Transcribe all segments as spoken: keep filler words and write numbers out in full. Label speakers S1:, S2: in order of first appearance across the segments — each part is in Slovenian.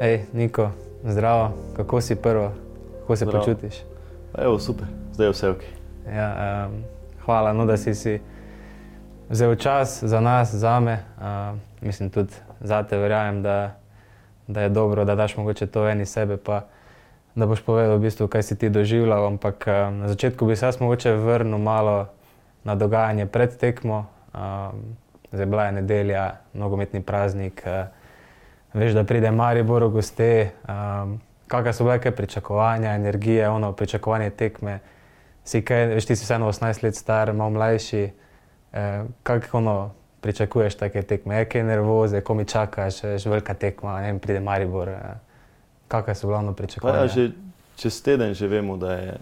S1: Ej, Niko, zdravo, kako si prvo, kako se
S2: Zdravo.
S1: počutiš?
S2: Evo, super, zdaj je vse ok.
S1: Ja, um, hvala, no, da si si vzel čas za nas, zame. Uh, mislim tudi zate, verjamem, da, da je dobro, da daš mogoče to ven iz sebe, pa da boš povedal v bistvu, kaj si ti doživljal, ampak um, na začetku bi se jaz mogoče vrnil malo na dogajanje pred tekmo. Um, zdaj bila je nedelja, nogometni praznik, uh, veš, da pride Maribor v goste. Um, kakšne so bile kaj pričakovanja, energije, ono pričakovanje tekme? Si kaj, veš, ti si vseeno osemnajst let star, malo mlajši, eh, kako ono pričakuješ take tekme? Je kaj nervoze, ko mi čakaš, veš, velika tekma, ne vem, pride Maribor. Eh, kakšne so glavno pričakovanja?
S2: Pa ja, že čez teden že vemo, da je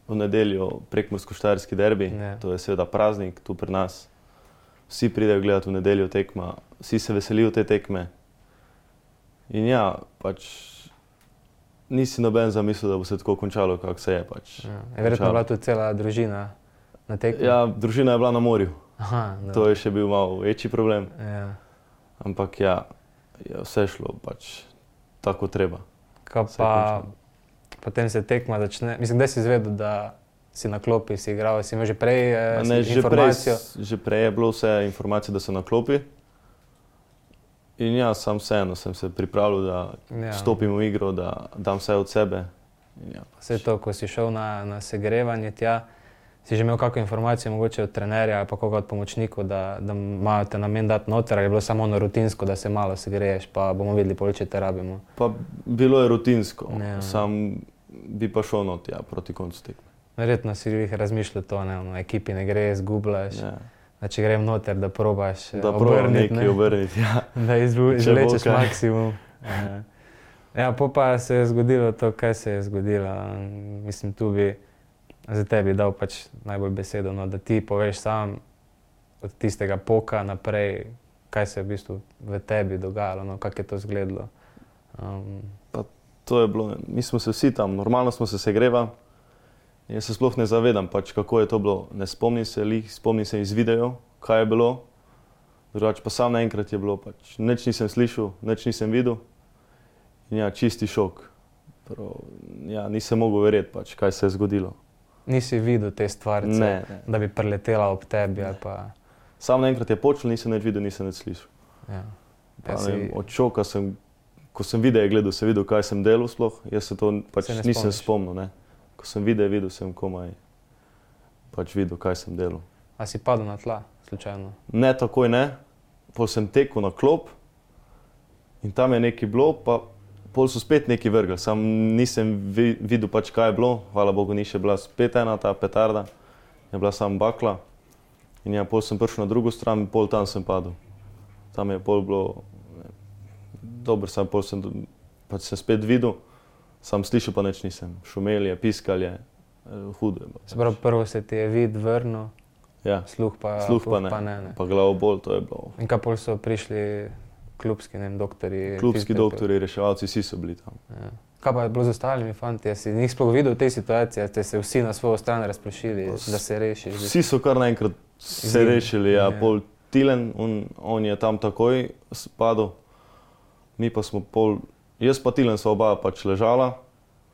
S2: v nedeljo prekmursko-štajerski derbi,
S1: Ne.
S2: to je seveda praznik tu pri nas. Vsi pridejo gledati v nedeljo tekma, vsi se veselijo te tekme. In ja, pač nisi noben zamislil, da bo se tako končalo, kako se je pač.
S1: Ja, je verjetno
S2: končalo.
S1: bila tudi cela družina na tekmi?
S2: Ja, družina je bila na morju,
S1: Aha, da.
S2: to je še bil malo večji problem,
S1: Ja.
S2: ampak ja, je vse šlo pač tako treba.
S1: Kaj
S2: Vse
S1: pa,
S2: končano.
S1: potem se tekma začne, mislim, kdaj si izvedel, da si na klopi, si igral, si imel že prej eh,
S2: A Ne,
S1: si
S2: že, prej,
S1: informacijo?
S2: že prej je bilo vse informacije, da so na klopi. In ja, sam vseeno sem se pripravljal, da
S1: Ja.
S2: ja. stopim v igro, da dam vse od sebe. In ja,
S1: Vse to, ko si šel na, na segrevanje tja, si že imel kakšno informacijo mogoče od trenerja ali pa koga od pomočnikov, da, da imajo te namen dati noter, ali je bilo samo ono rutinsko, da se malo segreješ, pa bomo videli, pol, če te rabimo.
S2: Pa bilo je rutinsko,
S1: Ja.
S2: sam bi pa šel not, ja, proti koncu tekme.
S1: Verjetno si jih razmišljal to, ne, ono, ekipi ne gre, zgubljaš,
S2: Ja.
S1: da če grem noter, da probaš eh,
S2: Da probam
S1: obrniti,
S2: nekaj obrniti. Ja.
S1: da izvu-
S2: Če bo
S1: izvlečeš
S2: kaj.
S1: maksimum. Ja. Ja, po pa se je zgodilo to, kaj se je zgodilo. Mislim, tu bi za tebi dal pač najbolj besedo, no, da ti poveš sam od tistega poka naprej, kaj se je v bistvu v tebi dogajalo, no, kako je to izgledalo. Um,
S2: To je bilo, mi smo se vsi tam, normalno smo se segrevali. Jaz se sploh ne zavedam, pač, kako je to bilo. Ne spomnim se lih, spomnim se iz videojev, kaj je bilo. Drugače pa sam naenkrat je bilo, pač, nič nisem slišal, nič nisem videl. In ja, čisti šok. Prav, ja, nisem mogel verjeti, pač, kaj se je zgodilo.
S1: nisi videl te stvarce,
S2: Ne, ne.
S1: da bi preletela ob tebi ali pa...
S2: Sam naenkrat je počel, nisem nič videl, nisem nič slišal.
S1: Ja.
S2: Pa,
S1: Ja,
S2: ne
S1: si-
S2: vem, od šoka sem, ko sem videe gledal, sem videl, kaj sem delal sploh. Jaz se to pač
S1: Se ne
S2: nisem
S1: spomniš?
S2: spomnil. Ne. Ko sem videe videl, sem komaj pač videl, kaj sem delal.
S1: A si padel na tla, slučajno?
S2: Ne takoj ne, pol sem tekel na klop in tam je nekaj bilo, pa pol so spet nekaj vrgli. Sam nisem vi, videl pač, kaj je bilo, hvala Bogu ni še bila spet ena ta petarda, je bila samo bakla. In ja, pol sem prišel na drugo stran in pol tam sem padel. Tam je pol bilo, ne, dobro, sam pol sem, do- pač sem spet videl, sam slišal pa nič nisem. Šumel je, piskal je, eh, hudo je bilo.
S1: Se pravi, prvo se ti je vid vrnil,
S2: Ja,
S1: sluh pa,
S2: sluh pa
S1: sluh
S2: ne,
S1: pa ne, ne.
S2: pa glavobol, to je bilo.
S1: In kaj pol so prišli klubski, ne vem, doktorji?
S2: Klubski
S1: fizioterapevti?
S2: doktori, reševalci, vsi so bili tam.
S1: Ja. Kaj pa je bilo z ostalimi fanti? Si njih sploh videl v tej situaciji, ste se vsi na svojo stran razpršili, da se rešiš?
S2: Vsi so kar naenkrat se
S1: Izgine.
S2: rešili, ja,
S1: Ja.
S2: pol Tilen, on, on je tam takoj spadal, mi pa smo pol, jaz pa Tilen sva oba pač ležala,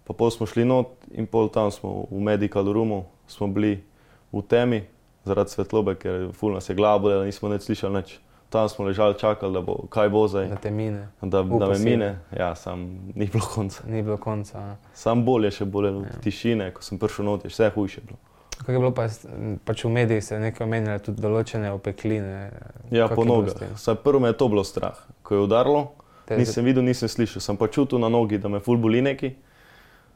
S2: pa pol smo šli not in pol tam smo v medical roomu, smo bili v temi zaradi svetlobe, ker ful nas je glava bolela, nismo nič slišali nič. Tam smo ležali, čakali, da bo, kaj bo zdaj,
S1: Da te mine,
S2: da, da
S1: Upal
S2: me
S1: si.
S2: mine, ja, sam ni bilo konca.
S1: ni bilo konca. a.
S2: Sam bolje še bolelo,
S1: Ja.
S2: tišine, ko sem prišel not, je vse hujše bilo.
S1: Kako je bilo pa, s- pač v medijih se nekaj omenjali tudi določene opekline.
S2: Ja,
S1: Kako
S2: po
S1: je bilo
S2: nogah.
S1: s tem?
S2: Saj prvo me je to bilo strah. Ko je udarilo,
S1: Te-
S2: nisem videl, nisem slišal. Sem pa čutil na nogi, da me ful boli neki.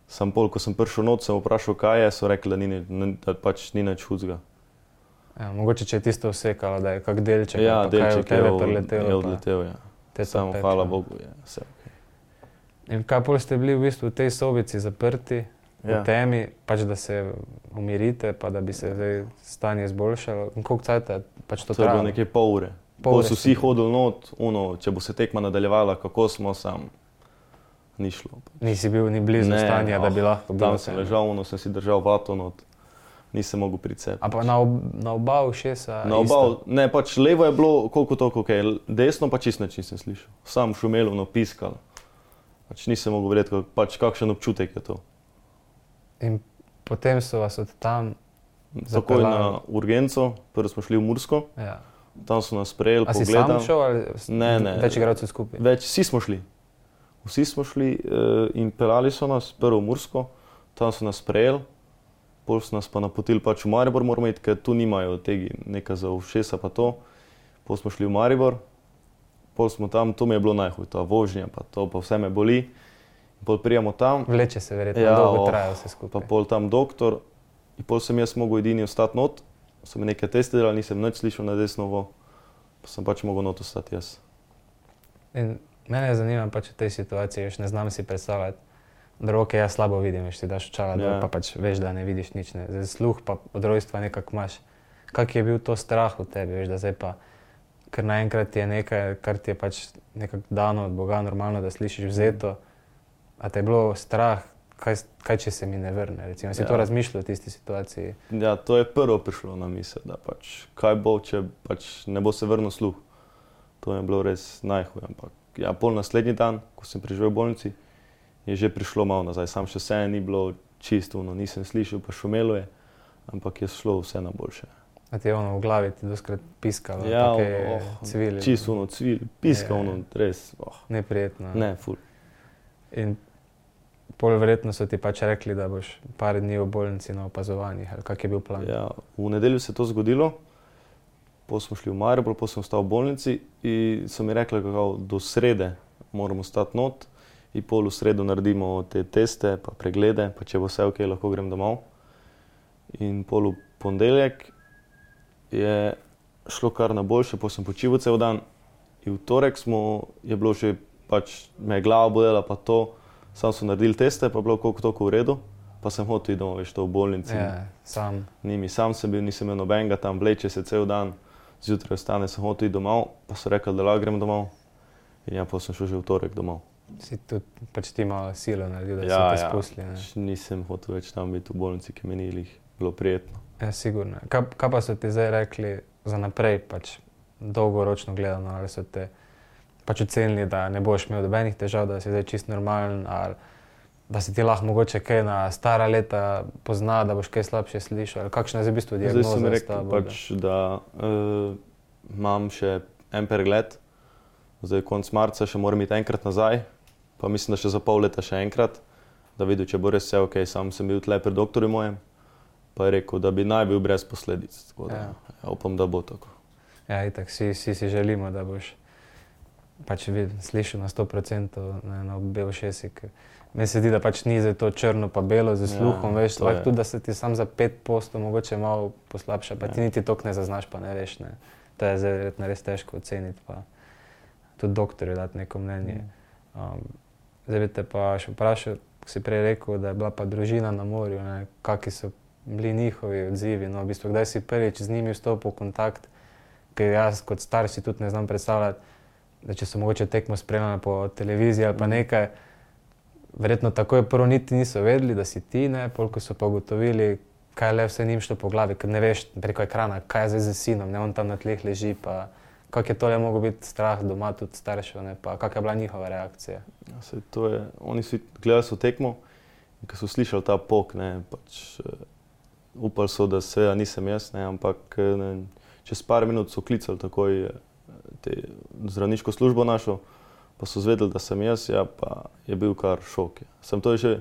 S2: Sam pol, ko sem prišel not, sem vprašal, kaj je, so rekli, da, ni, ni- ni, da pač ni nič hudega.
S1: Ja, mogoče če je tisto vsekalo, da je kak delček,
S2: Ja,
S1: ali pa kaj je v
S2: delček je,
S1: tebe
S2: od-
S1: preletelo.
S2: je
S1: pa
S2: odletel. Ja.
S1: te to
S2: Samo
S1: peče,
S2: hvala
S1: no.
S2: Bogu. Je, vse.
S1: In kaj pol ste bili v bistvu v tej sobici zaprti,
S2: Ja.
S1: v temi, pač da se umirite, pa da bi se zdaj stanje izboljšalo. In koliko cajta pač to
S2: To je bilo
S1: trajalo?
S2: nekaj pol ure.
S1: Pol
S2: Pol
S1: ure
S2: so
S1: ste
S2: vsi hodili not, uno, če bo se tekma nadaljevala, kako smo, sam ni šlo.
S1: Nisi bil ni blizu
S2: Ne,
S1: stanja, da
S2: oh,
S1: bi lahko bilo
S2: Tam
S1: vse.
S2: sem ležal, uno, sem si držal vato not, nisem mogel priti sebi.
S1: A pa na, ob, na oba ušesa
S2: Na
S1: isto?
S2: oba, ne, pač levo je bilo koliko toliko, okay. Desno pa čisto nič nisem slišal. Sam šumelo, no, piskal. Pač nisem mogel verjeti, pač kakšen občutek je to.
S1: In potem so vas od tam
S2: Takoj na urgenco, prvo smo šli v Mursko,
S1: ja.
S2: Tam so nas sprejeli,
S1: pogledali. A si
S2: pogledal.
S1: sam šel ali
S2: ne, ne,
S1: več igralcev skupaj?
S2: Več, vsi smo šli. Vsi smo šli uh, in pelali so nas prvo v Mursko, tam so nas sprejeli, pol so nas pa napotili pač v Maribor, moramo iti, ker tu nimajo tega nekaj za ušesa pa to. Pol smo šli v Maribor, pol smo tam, to mi je bilo najhuj, ta vožnja pa to, pa vse me boli. Pol prijemo tam.
S1: Vleče se verjetno,
S2: ja,
S1: dolgo
S2: oh,
S1: traja vse skupaj.
S2: Pa pol tam doktor in pol sem jaz mogel edini ostati not, so mi nekaj teste delali, nisem nič slišal na desnovo, pa sem pač mogel not ostati jaz.
S1: In mene zanima pač v tej situaciji, veš, ne znam si predstavljati, da roke jaz slabo vidim, veš, ti daš očala dol,
S2: Ja.
S1: pa pač veš, da ne vidiš nič, ne. Zdaj sluh pa od rojstva nekako imaš. Kak je bil to strah v tebi, veš, da zdaj pa, ker naenkrat je nekaj, kar ti je pač nekako dano od Boga normalno, da slišiš vzeto, a te je bilo strah, kaj, kaj če se mi ne vrne, recimo, si
S2: Ja.
S1: to razmišljal v tisti situaciji?
S2: Ja, to je prvo prišlo na misel, da pač kaj bo, če pač ne bo se vrnil sluh. To je bilo res najhuj, ampak ja, pol naslednji dan, ko sem priživel v bolnici, je že prišlo malo nazaj, sam še vse ni bilo čisto, no, nisem slišal, pa šumelo je, ampak je šlo vse na boljše.
S1: A ti je ono v glavi ti doskrat piskalo,
S2: Ja,
S1: take
S2: oh,
S1: cvili?
S2: čisto ono cvil, piska
S1: Ja.
S2: ono, res, oh,
S1: Neprijetno.
S2: ne, ful.
S1: In pol verjetno so ti pač rekli, da boš par dni v bolnici na opazovanjih, ali kak je bil plan?
S2: Ja, v nedeljo se je to zgodilo, pol smo šli v Maribor, pol sem ostal v bolnici in so mi rekli, kako do srede moramo stati not in pol v sredo naredimo te teste, pa preglede, pa če bo vse ok, lahko grem domov. In pol v ponedeljek je šlo kar na boljše, pol sem počival cel dan in v torek smo, je bilo že pač, me je glava bolela pa to, sam so naredili teste, pa bilo koliko toliko v redu, pa sem hotel iti domov, veš, to v bolnici.
S1: Ja, sam.
S2: Ni mi, sam sem bil, nisem imel nobenega, tam vleče se cel dan, zjutraj vstane, sem hotel iti domov, pa so rekli, da lahko grem domov. In ja, pa sem šel že v torek domov.
S1: Si tudi pač ti malo silo naredil, da
S2: Ja,
S1: so te
S2: ja.
S1: spustili, ne?
S2: Pač nisem hotel več tam biti v bolnici, ki mi ni glih bilo prijetno.
S1: Ja, sigurno. Kaj, kaj pa so ti zdaj rekli za naprej, pač dolgoročno gledano, ali so te pač ocenili, da ne boš imel nobenih težav, da si zdaj čist normalen, ali da si ti lahko mogoče kaj na stara leta pozna, da boš kaj slabše slišal, ali kakšna je zdaj v bistvu
S2: Zdaj
S1: diagnoza?
S2: so mi
S1: s
S2: rekli,
S1: tabo,
S2: pač, da uh, imam še en pregled, zdaj konc marca še moram iti enkrat nazaj, pa mislim, da še za pol leta še enkrat, da vidim, če bo res vse ok. Sam sem bil tle pri doktorju mojem, pa je rekel, da bi naj bil brez posledic, tako da
S1: Ja.
S2: ja, upam, da bo tako.
S1: Ja, itak, vsi, vsi si želimo, da boš pač vid, slišal na sto procentov na, na obe ušesi. ker Meni se zdi, da pač ni za to črno pa belo z sluhom,
S2: Ja,
S1: veš,
S2: to
S1: lahko
S2: je.
S1: tudi, da se ti sam za pet posto mogoče malo poslabša, pa
S2: Ja.
S1: ti niti toliko ne zaznaš, pa ne veš, ne. To je zdaj verjetno res težko oceniti, pa tudi doktorju dati neko mnenje. Um, zdaj bi te pa še vprašal, ko si prej rekel, da je bila pa družina na morju, ne, kaki so bili njihovi odzivi, no, v bistvu, kdaj si prvič z njimi vstopil v kontakt, ker jaz kot starš si tudi ne znam predstavljati, da če so mogoče tekmo spremljali po televiziji ali pa nekaj, verjetno takoj prvo niti niso vedeli, da si ti, ne, pol ko so pa ugotovili, kaj le vse njim šlo po glavi, ker ne veš preko ekrana, kaj je zdaj z sinom, ne, on tam na tleh leži, pa kak je tole mogel biti strah doma tudi staršev, ne, pa kak je bila njihova reakcija?
S2: Ja, saj to je, oni so gledali so tekmo in ko so slišali ta pok, ne, pač uh, upali so, da seveda nisem jaz, ne, ampak ne, čez par minut so klicali takoj eh, te zdravniško službo našo, pa so zvedeli, da sem jaz, ja, pa je bil kar šok. Ja. Sem to je že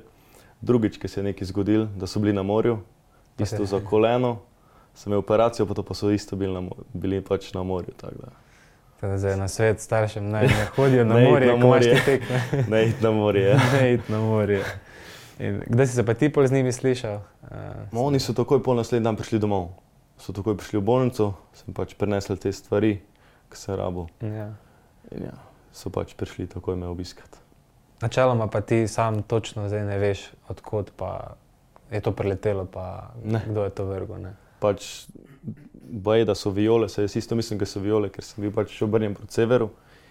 S2: drugič, ki se je nekaj zgodil, da so bili na morju, isto za koleno, sem imel operacijo, pa to pa so isto bili, na, mo- bili pač na morju, tako da.
S1: Teda zdaj na svet staršem naj ne hodijo na
S2: Ne iti
S1: morje,
S2: na
S1: ko imaš
S2: morje.
S1: te tekme.
S2: Ne iti na morje. Ja.
S1: Ne iti na morje. In kdaj si se pa ti pol z njimi slišal?
S2: No, oni so takoj pol naslednji dan prišli domov. So takoj prišli v bolnico, sem pač prenesel te stvari, ki sem rabil.
S1: Ja.
S2: In ja, so pač prišli takoj me obiskati.
S1: Načeloma pa ti sam točno zdaj ne veš, odkot pa je to preletelo, pa
S2: Ne.
S1: kdo je to vrgel, ne?
S2: Pač baje, da so viole, se jaz isto mislim, da so viole, ker sem bil pač obrnjen proti severu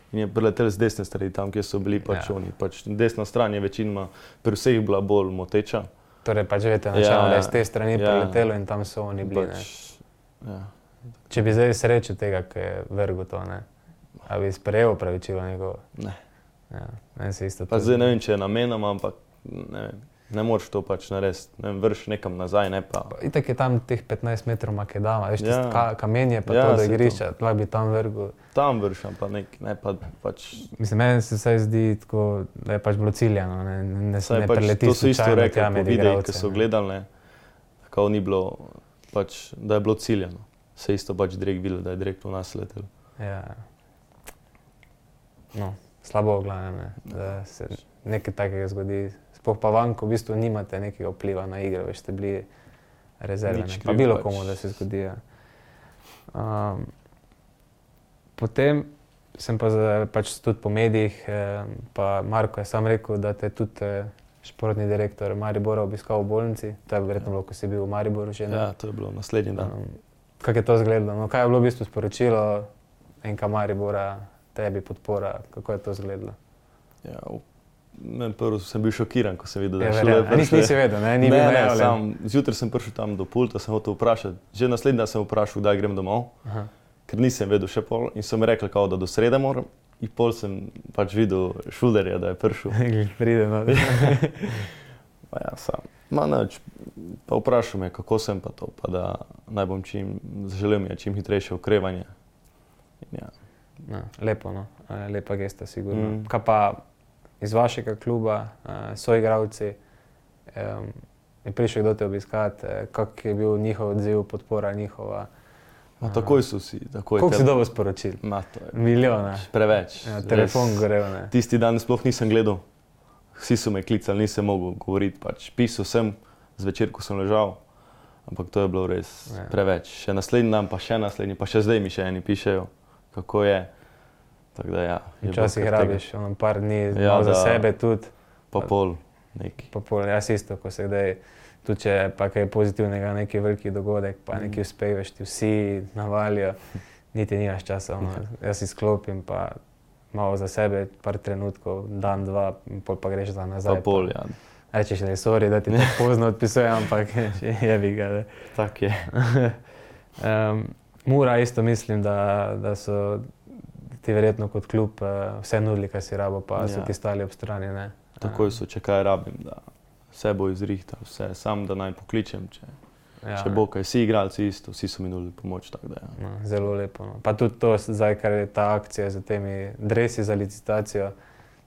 S2: in je priletel z desne strani, tam, kjer so bili pač
S1: Ja.
S2: oni. Pač desna stran je večinoma pri vseh bila bolj moteča.
S1: Torej pač veste načeloma,
S2: Ja,
S1: da je z te strani
S2: ja.
S1: preletelo in tam so oni bili, ne?
S2: Pač, ja.
S1: Če bi zdaj srečo tega, ki je vrgel to, ne? A bi sprejel opravičilo njegovo?
S2: Ne.
S1: Ja, meni se isto
S2: Pa zdaj ne vem, če je namenoma, ampak ne vem, ne moreš to pač narediti, ne vem, vrš nekam nazaj, ne pa.
S1: Pa itak je tam teh petnajst metrov makedama, veš,
S2: Ja.
S1: tisto ka, kamenje pa
S2: Ja,
S1: to do
S2: saj to.
S1: igrišča, lahko bi tam vrgel.
S2: Tam vršam pa nek, ne pa pač.
S1: Mislim, meni se vsaj zdi tako, da je pač bilo ciljano, ne, ne,
S2: Saj
S1: ne
S2: pač
S1: preleti
S2: to so isto
S1: slučajno
S2: rekli
S1: tja
S2: po
S1: med
S2: videih,
S1: igralce,
S2: ki so
S1: ne.
S2: gledali, ne, kao ni bilo, pač, da je bilo ciljano. Se isto pač direkt videlo, da je direkt v nas letel.
S1: Ja. No, slabo v glavnem, ne, da se nekaj takega zgodi. Sploh pa van, ko v bistvu nimate nekega vpliva na igro, veš, ste bili rezerve,
S2: Nič
S1: ne, pa
S2: kriv
S1: bilo
S2: pač.
S1: komu, da se zgodi. Ja. Um, potem sem pa za, pač tudi po medijih, eh, pa Marko je sam rekel, da te tudi eh, športni direktor Maribora obiskal v bolnici. To je verjetno bilo, ko si bil v Mariboru že, ne?
S2: Ja, to je bilo naslednji dan.
S1: Um, kako je to izgledalo? No, kaj je bilo v bistvu sporočilo enka Maribora, tebi podpora, kako je to izgledalo?
S2: Ja, v- ne, prvo sem bil šokiran, ko sem videl, da
S1: Ja,
S2: je
S1: verjamem.
S2: šele
S1: A nisi, nisi vedel, ne? Ni bil
S2: Ne, ne,
S1: najavljen.
S2: sam, zjutraj sem prišel tam do pulta, sem hotel vprašati. Že naslednji dan sem vprašal, kdaj grem domov,
S1: Aha.
S2: ker nisem vedel še pol in so mi rekli, kao, da do srede moram. In pol sem pač videl Šulderja, da je prišel.
S1: Pride, no.
S2: Pa ja, sam. Ma nič, pa vprašal me, kako sem pa to, pa da naj bom čim, želel mi je čim hitrejše okrevanje. In ja,
S1: No, lepo, no. Eh, lepa gesta, sigurno.
S2: Mm.
S1: Kaj pa iz vašega kluba, eh, soigravci, eh, je prišel kdo te obiskati, eh, kak je bil njihov odziv, podpora njihova?
S2: ma takoj so si, takoj.
S1: Koliko si
S2: te-
S1: dobil sporočil?
S2: Ma, to je
S1: Milijone.
S2: preveč.
S1: Ja,
S2: res.
S1: telefon gorel, ne.
S2: Tisti dan sploh nisem gledal, vsi so me klicali, nisem mogel govoriti, pač pisal sem, zvečer, ko sem ležal, ampak to je bilo res
S1: Ja.
S2: preveč. Še naslednji dan, pa še naslednji, pa še zdaj mi še eni pišejo, kako je. Tako da ja. je bilo
S1: Včasih
S2: kar tega.
S1: rabiš ono par dni,
S2: Ja,
S1: malo za
S2: da-
S1: sebe tudi.
S2: Pa pol, neki.
S1: Pa pol, jaz isto, ko se kdaj, tudi če je pa kaj pozitivnega, neki veliki dogodek, pa neki uspeh, veš, ti vsi navalijo, niti nimaš časa, ono, jaz izklopim pa malo za sebe, par trenutkov, dan, dva, in pol pa greš za nazaj.
S2: Pa pol, ja.
S1: Rečeš, da je sorry, da ti tako pozno odpisujem, ampak jebi ga. Ne.
S2: Tak je.
S1: Um, Mura isto mislim, da, da so ti verjetno kot klub uh, vse nudili, kar si rabo, pa so
S2: Ja.
S1: ti stali ob strani, ne.
S2: Takoj so, če kaj rabim, da vse bo izrihtal, vse, sam da naj pokličem, če,
S1: Ja,
S2: če bo kaj. Vsi igralci isto, vsi so mi nudili pomoč, tako da ja.
S1: No, zelo lepo. No. Pa tudi to, zdaj, kar je ta akcija z temi dresi za licitacijo,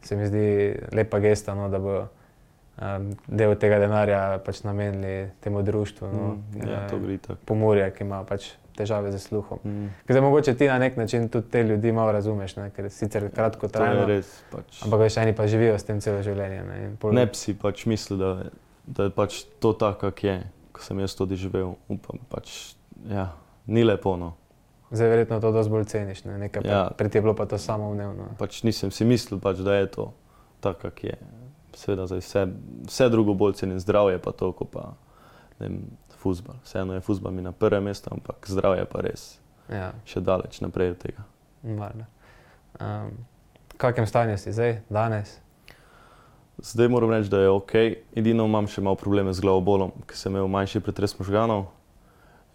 S1: se mi zdi lepa gesta, no, da bo um, del tega denarja pač namenili temu društvu. No,
S2: Mm, ja, to gre tako.
S1: Pomurje, ki ima pač težave z sluhom.
S2: Mm.
S1: Ker zdaj mogoče ti na nek način tudi te ljudi malo razumeš, ne? Ker sicer kratko
S2: To je
S1: trajno,
S2: res, pač.
S1: ampak veš, eni pa živijo s tem celo življenje. Ne, in pol,
S2: Ne bi si pač mislil, da, da je pač to tako, kak je, ko sem jaz tudi živel. Upam, pač, ja, ni lepo, no.
S1: Zdaj verjetno to dosti bolj ceniš, ne? Nekaj
S2: Ja.
S1: pa, pred je bilo pa to samoumevno.
S2: Pač nisem si mislil, pač, da je to tako, kak je. Seveda zdaj vse, vse drugo bolj cenim, zdravje pa to, ko pa, ne vem, fuzbal. Vseeno je fuzbal mi na prvem mestu, ampak zdravje pa res
S1: Ja.
S2: še daleč naprej od tega.
S1: Valjda. Um, v kakem stanju si zdaj, danes?
S2: Zdaj moram reči, da je ok, edino imam še malo probleme z glavobolom, ker sem imel manjši pretres možganov.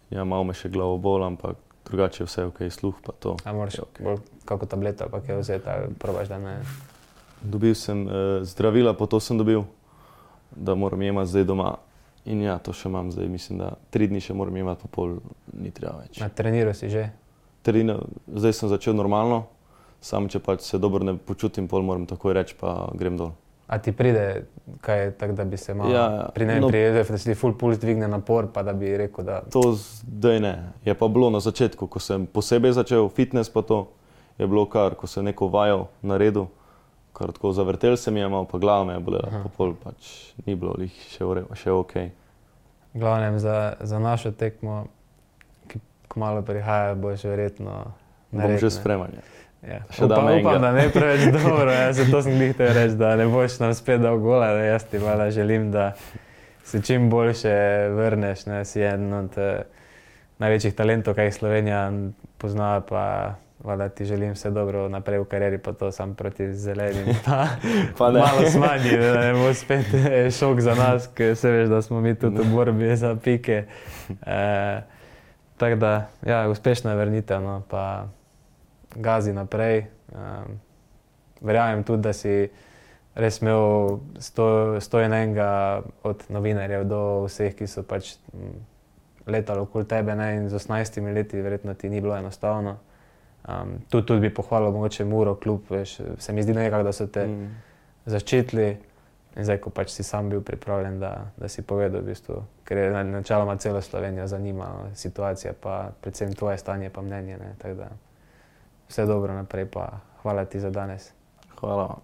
S2: Ja, malo me še glavobol, ampak drugače je vse ok, sluh pa to.
S1: A moraš
S2: je ok.
S1: bolj kako tableto ali pa kaj vzeti, ali probaš, da ne...
S2: Dobil sem uh, zdravila, pa to sem dobil, da moram jemati zdaj doma. In ja, to še imam zdaj, mislim, da tri dni še moram jemati, pa pol ni treba več.
S1: Na treniru si že?
S2: Trino, zdaj sem začel normalno, samo če pač se dobro ne počutim, pol moram takoj reči, pa grem dol.
S1: A ti pride kaj tak, da bi se malo
S2: Ja, ja.
S1: pri ne
S2: No.
S1: prijede, da si ti full puls dvigne napor, pa da bi rekel, da...
S2: To zdaj ne. Je pa bilo na začetku, ko sem posebej začel fitness, pa to je bilo kar, ko sem neko vajo naredil, kar tako zavrtel se mi je malo, pa glava me je bolela,
S1: Aha.
S2: pa pol pač ni bilo lih še, ure- še ok.
S1: V glavnem za, za našo tekmo, ki kmalu prihaja, boš verjetno
S2: Bom
S1: nared,
S2: že
S1: ne?
S2: spremanje.
S1: Ja.
S2: še
S1: Upam,
S2: dam enega.
S1: upam, da ne preveč dobro, jaz to sem njih te reči, da ne boš nam spet dal gola, da jaz ti valjda želim, da se čim boljše vrneš, ne, si en od eh, največjih talentov, kaj Slovenija pozna, pa valjda ti želim vse dobro naprej v karieri, pa to sam proti zelenim, pa,
S2: Pa ne.
S1: malo smanji, da ne bo spet eh, šok za nas, ker se veš, da smo mi tudi v borbi za pike. Eh, tako da, ja, uspešna vrnitev, no, pa gazi naprej. Um, verjamem tudi, da si res imel sto, sto in enega od novinarjev do vseh, ki so pač letali okoli tebe, ne, in z osemnajstimi leti verjetno ti ni bilo enostavno. Um, tudi, tudi bi pohvalil mogoče Muro klub, veš, se mi zdi nekako, da so te mm. zaščitili in zdaj, ko pač si sam bil pripravljen, da, da si povedal v bistvu, ker je načeloma celo Slovenijo zanima situacija, pa predvsem tvoje stanje pa mnenje, ne, tako da vse dobro naprej, pa hvala ti za danes.
S2: Hvala.